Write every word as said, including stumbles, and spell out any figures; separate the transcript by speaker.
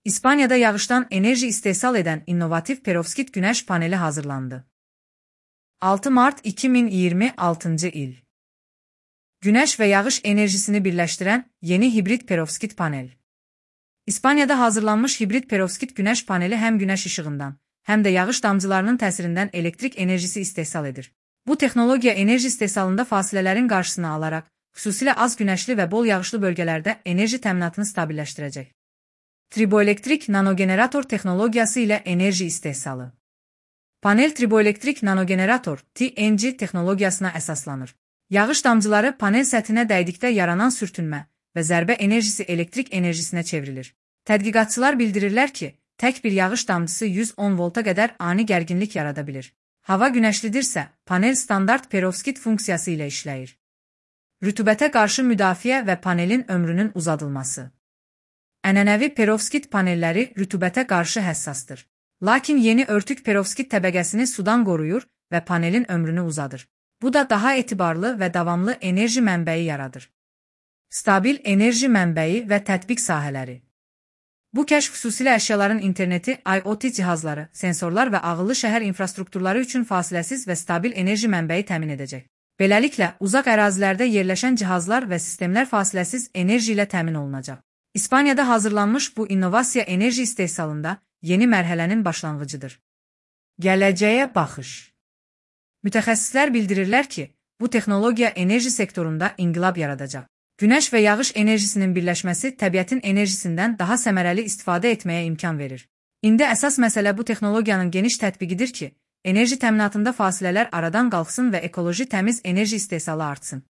Speaker 1: İspanya'da yağıştan enerji istehsal eden innovatif perovskit güneş paneli hazırlandı. altı Mart iki bin iyirmi altıncı il. Güneş ve yağış enerjisini birleştiren yeni hibrit perovskit panel. İspanya'da hazırlanmış hibrit perovskit güneş paneli hem güneş ışığından hem de yağış damcılarının təsirindən elektrik enerjisi istehsal edir. Bu texnologiya enerji istehsalında fasilələrin qarşısını alarak, xüsusilə az güneşli ve bol yağışlı bölgelerde enerji təminatını stabilləşdirəcək. Triboelektrik nanogenerator texnologiyası ile enerji istehsalı. Panel triboelektrik nanogenerator T N G texnologiyasına əsaslanır. Yağış damcıları panel səthinə dəydikdə yaranan sürtünmə və zərbə enerjisi elektrik enerjisinə çevrilir. Tədqiqatçılar bildirirlər ki, tək bir yağış damcısı yüz on volta qədər ani gərginlik yarada bilir. Hava günəşlidirsə, panel standart perovskit funksiyası ilə işləyir. Rütubətə qarşı müdafiə və panelin ömrünün uzadılması. Ənənəvi perovskit panelləri rütubətə qarşı həssasdır. Lakin yeni örtük perovskit təbəqəsini sudan qoruyur və panelin ömrünü uzadır. Bu da daha etibarlı və davamlı enerji mənbəyi yaradır. Stabil enerji mənbəyi və tətbiq sahələri. Bu kəşf xüsusilə əşyaların interneti, I O T cihazları, sensorlar və ağıllı şəhər infrastrukturları üçün fasiləsiz və stabil enerji mənbəyi təmin edəcək. Beləliklə, uzaq ərazilərdə yerləşən cihazlar və sistemlər fasiləsiz enerji ilə təmin olunacaq. İspaniyada hazırlanmış bu innovasiya enerji istehsalında yeni mərhələnin başlanğıcıdır. Gələcəyə baxış. Mütəxəssislər bildirirlər ki, bu texnologiya enerji sektorunda inqilab yaradacaq. Güneş və yağış enerjisinin birləşməsi təbiətin enerjisindən daha səmərəli istifadə etməyə imkan verir. İndi əsas məsələ bu texnologiyanın geniş tətbiqidir ki, enerji təminatında fasilələr aradan qalxsın və ekoloji təmiz enerji istehsalı artsın.